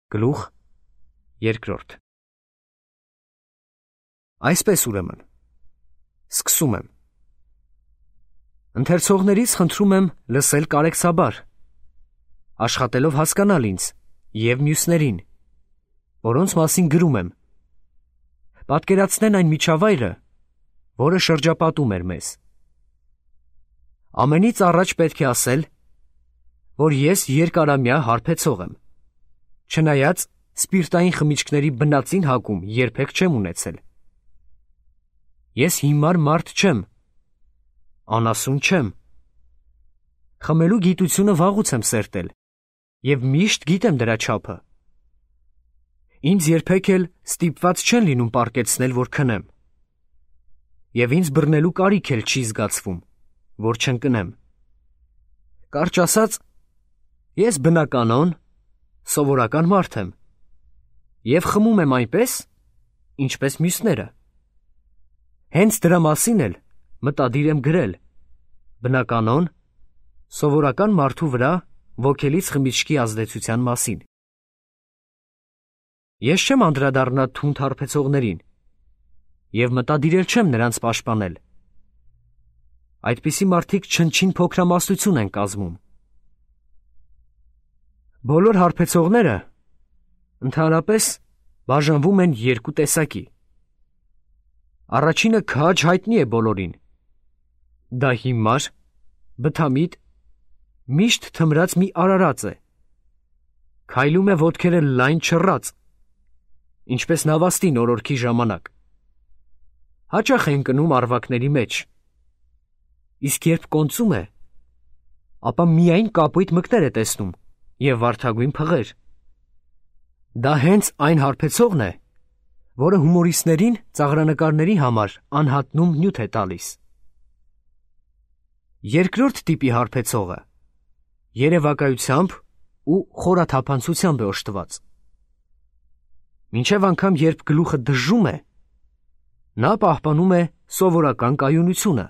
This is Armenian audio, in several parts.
Գլուխ երկրորդ։ Այսպես ուրեմն, սկսում եմ։ Ընթերցողներից խնդրում եմ լսել կարեկցաբար, աշխատելով հասկանալ ինձ և մյուսներին, որոնց մասին գրում եմ, պատկերացնեն այն միջավայրը, որը շրջապատում էր մեզ։ Ամենից առաջ պետք է ասել, որ ես երկարամյա հարբեցող եմ, չնայած սպիրտային խմիչքների բնածին հակում երբեք չեմ ունեցել։ Ես հիմար մարդ չեմ, անասուն չեմ։ Խմելու գիտությունը վաղուց եմ սերտել և միշտ գիտեմ դրա չափը։ Ինձ երբեք էլ ստիպված չեն լինում պառկեցնել, որ քնեմ։ Եվ ինձ բռնելու կարիք էլ չի զգացվում, որ չընկնեմ։ Կարճ ասած, ես բնականon, սովորական մարդ եմ և խմում եմ այնպես, ինչպես մյուսները։ Հենց դրա մասին էլ մտադիր եմ գրել, բնականon, սովորական մարդու վրա ոգելից խմիչքի ազդեցության մասին։ Ես չեմ անդրադառնա թունդ հարբեցողներին և մտադիր էլ չեմ նրանց պաշտպանել։ Այդպիսի մարդիկ չնչին փոքրամասնություն են կազմում։ Բոլոր հարբեցողները ընդհանրապես բաժանվում են երկու տեսակի։ Առաջինը քաջ հայտնի է բոլորին։ Դա հիմար, բթամիտ, միշտ թմրած մի արարած է։ Քայլում է ոտքերը լայն չռած, ինչպես նավաստին օրորքի ժամանակ։ Հաճախ է ընկնում առվակների մեջ։ Իսկ երբ կոնծում է, ապա միայն կապույտ մկներ է տեսնում և վարդագույն փղեր։ Դա հենց այն հարբեցողն է, որը հումորիստներին ծաղրանկարների համար անհատնում նյութ է տալիս։ Երկրորդ տիպի հարբեցողը երևակայությամբ ու խորաթափանցությամբ է օժտված։ Մինչև անգամ երբ գլուխը դժում է, նա պահպանում է սովորական կայունությունը։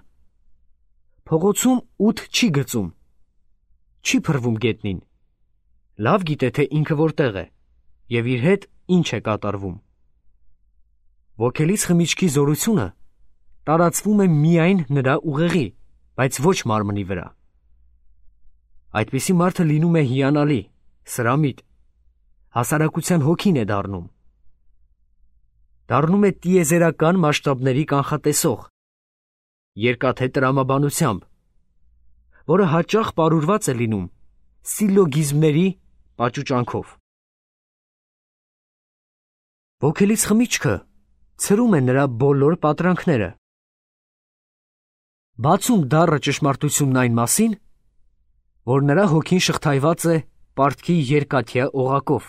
Փողոցում ութ չի գծում, չի փռվում գետնին, լավ գիտե, թե ինքը որտեղ է և իր հետ ինչ է կատարվում։ Ոգելից խմիչքի զորությունը տարածվում է միայն նրա ուղեղի, բայց ոչ մարմնի վրա։ Այդպիսի մարդը լինում է հիանալի, սրամիտ, հասարակության հոգին է դառնում։ Դառնում է տիեզերական մասշտաբների կանխատեսող, երկաթե տրամաբանությամբ, որը հաճախ պարուրված է լինում սիլոգիզմների պաճուճանքով։ Ոգելից խմիչքը ցրում է նրա բոլոր պատրանքները, բացում դառը ճշմարտությունն այն մասին, որ նրա հոգին շղթայված է պարտքի երկաթյա օղակով։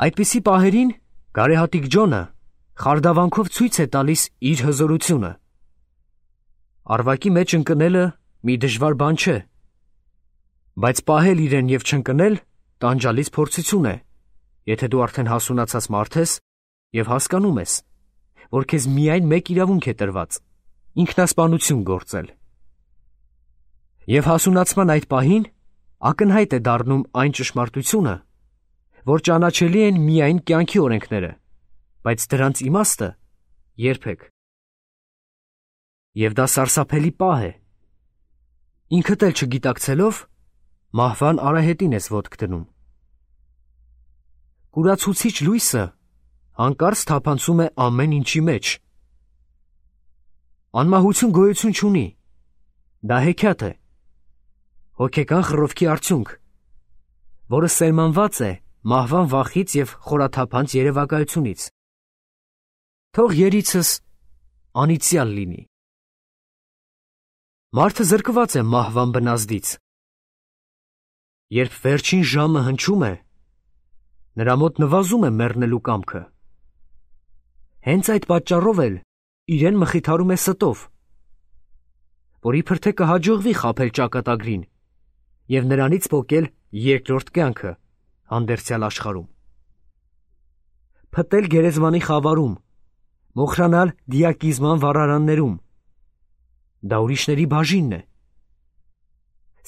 Այդպիսի պահերին գարեհատիկ Ջոնը խարդավանքով ցույց է տալիս իր հզորությունը։ Առվակի մեջ ընկնելը մի դժվար բան չէ, բայց պահել իրեն և չընկնել տանջալից փորձություն է, եթե դու արդեն հասունացած մարդ ես և հասկանում ես, որ քեզ միայն մեկ իրավունք է տրված՝ ինքնասպանություն գործել։ Եվ հասունացման այդ պահին ակնհայտ է դառնում այն ճշմարտությունը, որ ճանաչելի են միայն կյանքի օրենքները, բայց դրանց իմաստը՝ երբեք։ Եվ դա սարսափելի պահ է։ Ինքդ էլ չգիտակցելով, մահվան արահետին ես ոտք դնում։ Կուրացուցիչ լույսը հանկարծ թափանցում է ամեն ինչի մեջ։ Անմահություն գոյություն չունի, դա հեքիաթ է, հոգեկան խռովքի արդյունք, որը սերմանված է մահվան վախից և խորաթափանց երևակայությունից։ Թող երիցս անիծյալ լինի։ Մարդը զրկված է մահվան բնազդից։ Երբ վերջին ժամը հնչում է, նրա մոտ նվազում է մեռնելու կամքը։ Հենց այդ պատճառով էլ իրեն մխիթարում է ստով, որ իբր թե կհաջողվի խաբել ճակատագրին և նրանից պոկել երկրորդ կյանքը հանդերձյալ աշխարհում։ Փտել գերեզմանի խավարում, մոխրանալ դիակիզման վառարաններում, դա ուրիշների բաժինն է։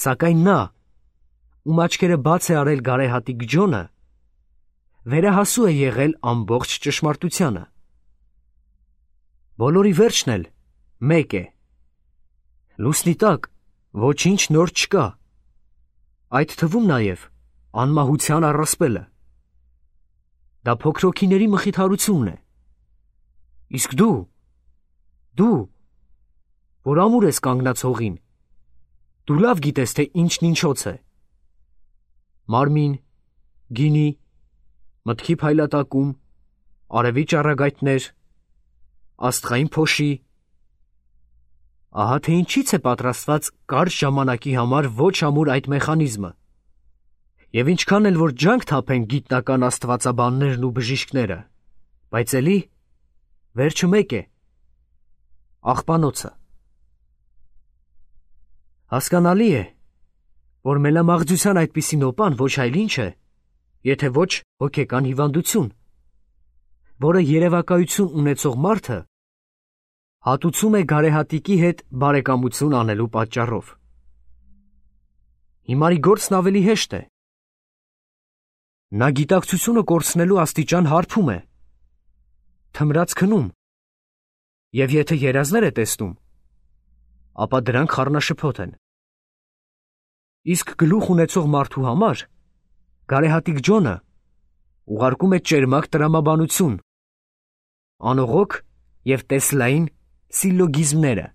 Սակայն նա, ում աչքերը բաց է արել գարեհատիկ Ջոնը, վերահասու է եղել ամբողջ ճշմարտությանը։ Բոլորի վերջն էլ մեկ է։ Լուսնի տակ ոչինչ նոր չկա, այդ թվում նաև անմահության առասպելը։ Դա փոքրոքիների մխիթարությունն է։ Իսկ դու, որ ամուր ես կանգնած հողին, դու լավ գիտես, թե ինչն ինչոց է։ Մարմին, գինի, մտքի փայլատակում, արևի ճառագայթներ, աստղային փոշի։ Ահա թե ինչից է պատրաստված կարճ ժամանակի համար ոչ ամուր այդ մեխանիզմը։ Եվ ինչքան էլ որ ջանք թափեն գիտնական աստվածաբաններն ու բժիշկները, բայց էլի վերջը մեկ է՝ աղբանոցը։ Հասկանալի է, որ մելամաղձության այդպիսի նոպան ոչ այլ ինչ է, եթե ոչ հոգեկան հիվանդություն, որը երևակայություն ունեցող մարդը հատուցում է գարեհատիկի հետ բարեկամություն անելու պատճառով։ Հիմարի գործն ավելի հեշտ է։ Նա գիտակցությունը կորցնելու աստիճան հարբում է, թմրած քնում, և եթե երազներ է տեսնում, ապա դրանք խառնաշփոթ են։ Իսկ գլուխ ունեցող մարդու համար գարեհատիկ Ջոնը ուղարկում է ճերմակ տրամաբանություն, անողոք և տեսլային սիլլոգիզմները,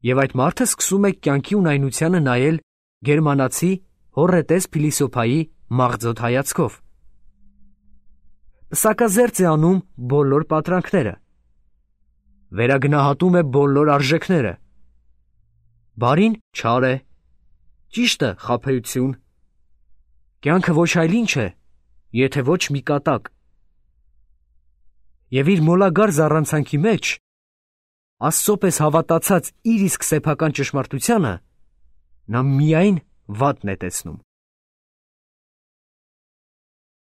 և այդ մարդը սկսում է կյանքի ունայնությանը նայել գերմանացի հոռետես փիլիսոփայի մաղձոտ հայացքով։ Պսակազերծ է անում բոլոր պատրանքները, վերագնահատում է բոլոր արժեքները, բարին չար է, ճիշտը խաբեություն, կյանքը ոչ այլ ինչ է, եթե ոչ մի կատակ։ Եվ իր մոլագար զառանցանքի մեջ, Աստծո պես հավատացած իր իսկ սեփական ճշմարտությանը, նա միայն վատն է տեսնում։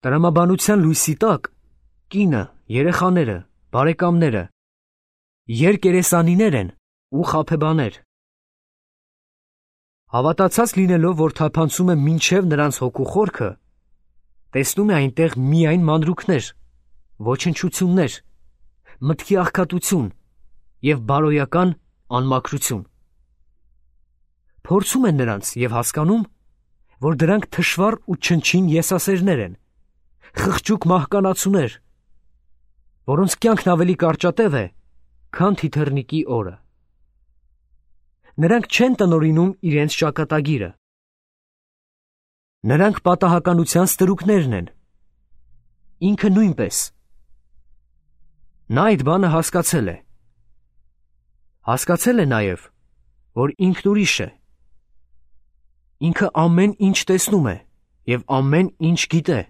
Տրամաբանության լույսի տակ կինը, երեխաները, բարեկամները երկերեսանիներ են ու խաբեբաներ։ Հավատացած լինելով, որ թափանցում է մինչև նրանց հոգու խորքը, տեսնում է այնտեղ միայն մանրուքներ, ոչնչություններ, մտքի աղքատություն և բարոյական անմաքրություն։ Փորձում են նրանց և հասկանում, որ դրանք թշվառ ու չնչին եսասերներ են, խղճուկ մահկանացուներ, որոնց կյանքն ավելի կարճատև է, քան թիթեռնիկի օրը։ Նրանք չեն տնօրինում իրենց ճակատագիրը։ Նրանք պատահականության ստրուկներն են։ Ինքը նույնպես։ Նա այդ բանը հասկացել է։ Հասկացել է նաև, որ ինքն ուրիշ է։ Ինքը ամեն ինչ տեսնում է և ամեն ինչ գիտե։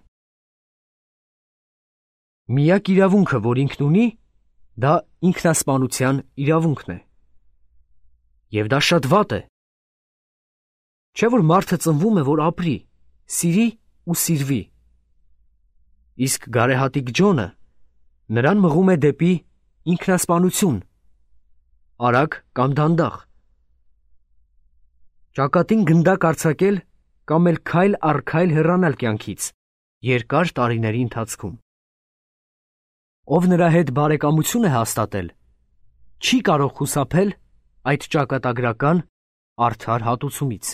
Միակ իրավունքը, որ ինքն ունի, դա ինքնասպանության իրավունքն է։ Եվ դա շատ վատ է։ Չէ՞ որ մարդը ծնվում է, որ ապրի, սիրի ու սիրվի։ Իսկ գարեհատիկ Ջոնը նրան մղում է դեպի ինքնասպանություն, արագ կամ դանդաղ։ Ճակատին գնդակ արձակել կամ էլ քայլ առ քայլ հեռանալ կյանքից երկար տարիների ընթացքում։ Ով նրա հետ բարեկամություն է հաստատել, չի կարող խուսափել այդ ճակատագրական արդար հատուցումից։